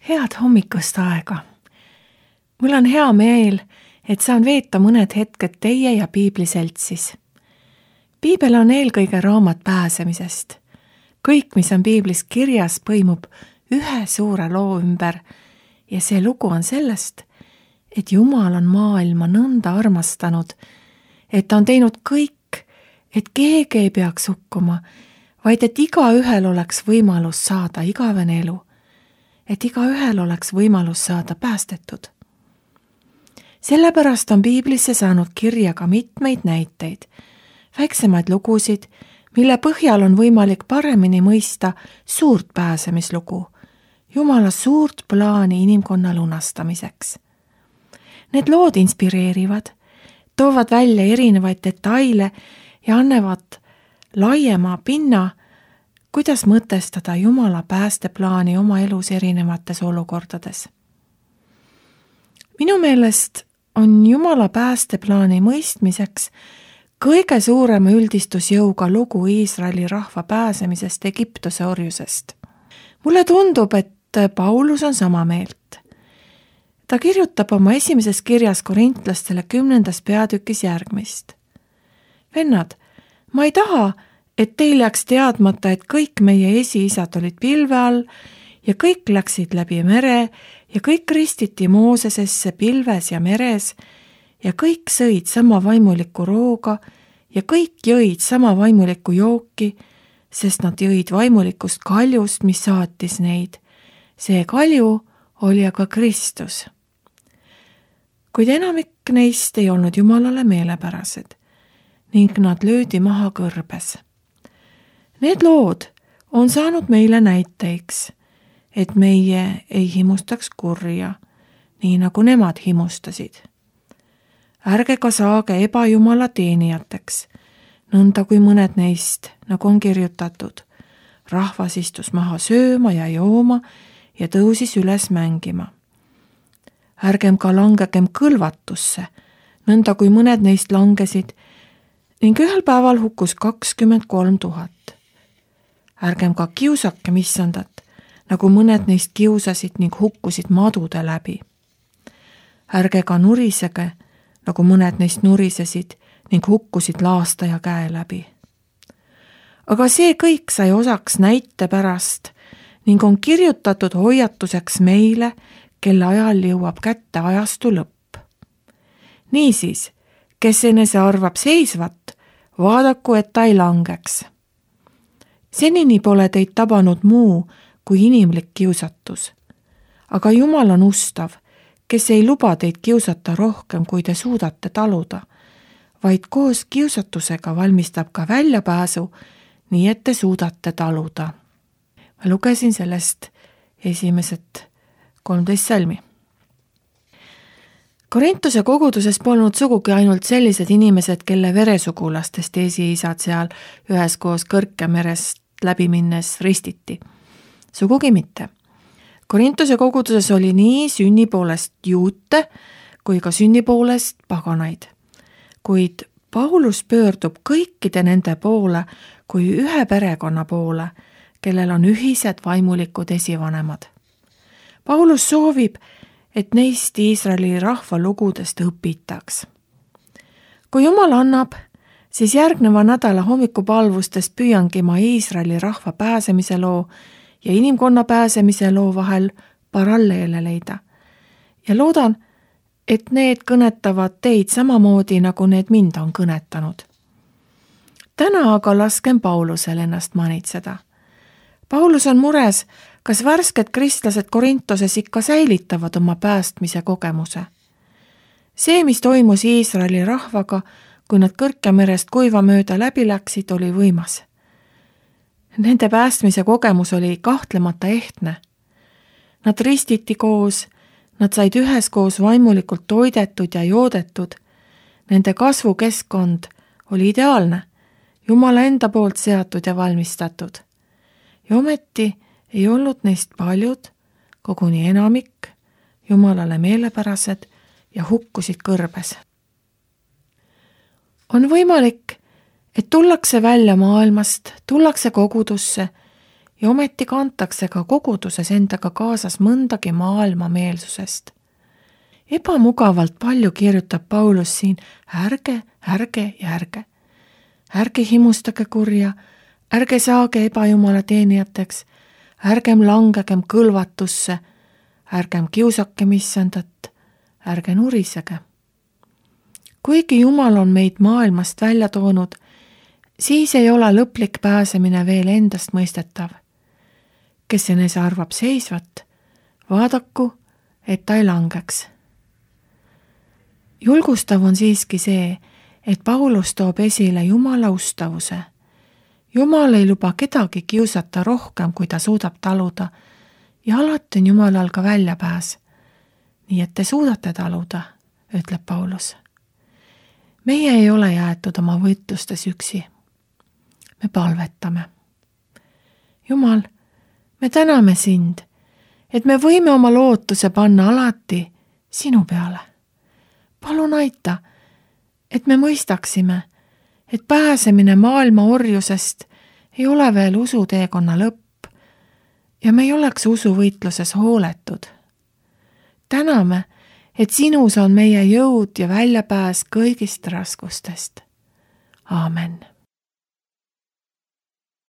Head hommikust aega! Mul on hea meel, et saan veeta mõned hetked teie ja piibliseltsis. Piibel on eelkõige raamat pääsemisest. Kõik, mis on piiblis kirjas, põimub ühe suure loo ümber ja see lugu on sellest, et Jumal on maailma nõnda armastanud, et ta on teinud kõik, et keegi ei peaks hukkuma, vaid et igaühel oleks võimalus saada igavene elu. Et igaühel oleks võimalus saada päästetud. Sellepärast on piiblisse saanud kirja ka mitmeid näiteid, väiksemaid lugusid, mille põhjal on võimalik paremini mõista suurt pääsemislugu, Jumala suurt plaani inimkonna lunastamiseks. Need lood inspireerivad, toovad välja erinevaid detaile ja annavad laiema pinna, kuidas mõtestada Jumala päästeplaani oma elus erinevates olukordades. Minu meelest on Jumala päästeplaani mõistmiseks kõige suurema üldistusjõuga lugu Iisraeli rahva pääsemisest Egiptuse orjusest. Mulle tundub, et Paulus on sama meelt. Ta kirjutab oma esimeses kirjas korintlastele 10. peatükis järgmist. Vennad, ma ei taha, et teil jääks teadmata, et kõik meie esiisad olid pilve all ja kõik läksid läbi mere ja kõik ristiti Moosesesse pilves ja meres ja kõik sõid sama vaimulikku rooga ja kõik jõid sama vaimulikku jooki, sest nad jõid vaimulikust kaljust, mis saatis neid. See kalju oli aga Kristus. Kuid enamik neist ei olnud Jumalale meelepärased ning nad löödi maha kõrbes. Need lood on saanud meile näiteiks, et meie ei himustaks kurja, nii nagu nemad himustasid. Ärge ka saage ebajumala teenijateks, nõnda kui mõned neist, nagu on kirjutatud. Rahvas istus maha sööma ja jooma ja tõusis üles mängima. Ärgem ka langegem kõlvatusse, nõnda kui mõned neist langesid ning ühel päeval hukkus 23 000. Ärgem ka kiusakem issandat, nagu mõned neist kiusasid ning hukkusid madude läbi. Ärge ka nurisege, nagu mõned neist nurisesid ning hukkusid laastaja käe läbi. Aga see kõik sai osaks näite pärast ning on kirjutatud hoiatuseks meile, kelle ajal jõuab kätte ajastu lõpp. Niisiis, kes enese arvab seisvat, vaadaku, et ta ei langeks. Senini pole teid tabanud muu kui inimlik kiusatus. Aga Jumal on ustav, kes ei luba teid kiusata rohkem, kui te suudate taluda, vaid koos kiusatusega valmistab ka väljapääsu, nii et te suudate taluda. Ma lugesin sellest esimesed 13 salmi. Korintuse koguduses polnud sugugi ainult sellised inimesed, kelle veresugulastest esiisad seal üheskoos Kõrkemerest läbi minnes ristiti. Sugugi mitte. Korintuse koguduses oli nii sünni poolest juute kui ka sünni poolest paganaid. Kuid Paulus pöördub kõikide nende poole kui ühe perekonna poole, kellel on ühised vaimulikud esivanemad. Paulus soovib, et neist Iisraeli rahva lugudest õpitaks. Kui Jumal annab, siis järgneva nädala hommikupalvustest püüangi ma Iisraeli rahva pääsemise loo ja inimkonna pääsemise loo vahel paralleele leida. Ja loodan, et need kõnetavad teid samamoodi, nagu need mind on kõnetanud. Täna aga laskem Paulusel ennast manitseda. Paulus on mures, kas värsked kristlased Korintoses ikka säilitavad oma päästmise kogemuse. See, mis toimus Iisraeli rahvaga, kui nad Kõrkemerest kuiva mööda läbi läksid, oli võimas. Nende päästmise kogemus oli kahtlemata ehtne. Nad ristiti koos, nad said üheskoos vaimulikult toidetud ja joodetud. Nende kasvukeskkond oli ideaalne, Jumala enda poolt seatud ja valmistatud. Ja ometi ei olnud neist paljud, koguni enamik, Jumalale meelepärased ja hukkusid kõrbes. On võimalik, et tullakse välja maailmast, tullakse kogudusse ja ometi kantakse ka koguduses endaga kaasas mõndagi maailmameelsusest. Ebamugavalt palju kirjutab Paulus siin ärge ja ärge. Ärge himustage kurja, ärge saage ebajumala teenijateks, ärgem langegem kõlvatusse, ärgem kiusakem issandat, ärge nurisege. Kuigi Jumal on meid maailmast välja toonud, siis ei ole lõplik pääsemine veel endast mõistetav. Kes enese arvab seisvat, vaadaku, et ta ei langeks. Julgustav on siiski see, et Paulus toob esile Jumala ustavuse. Jumal ei luba kedagi kiusata rohkem, kui ta suudab taluda, ja alati on Jumalal ka väljapääs. Nii et te suudate taluda, ütleb Paulus. Meie ei ole jäetud oma võitlustes üksi. Me palvetame. Jumal, me täname sind, et me võime oma lootuse panna alati sinu peale. Palun aita, et me mõistaksime, et pääsemine maailma orjusest ei ole veel usuteekonna lõpp ja me ei oleks usuvõitluses hooletud. Täname, et sinus on meie jõud ja väljapääs kõigist raskustest. Aamen.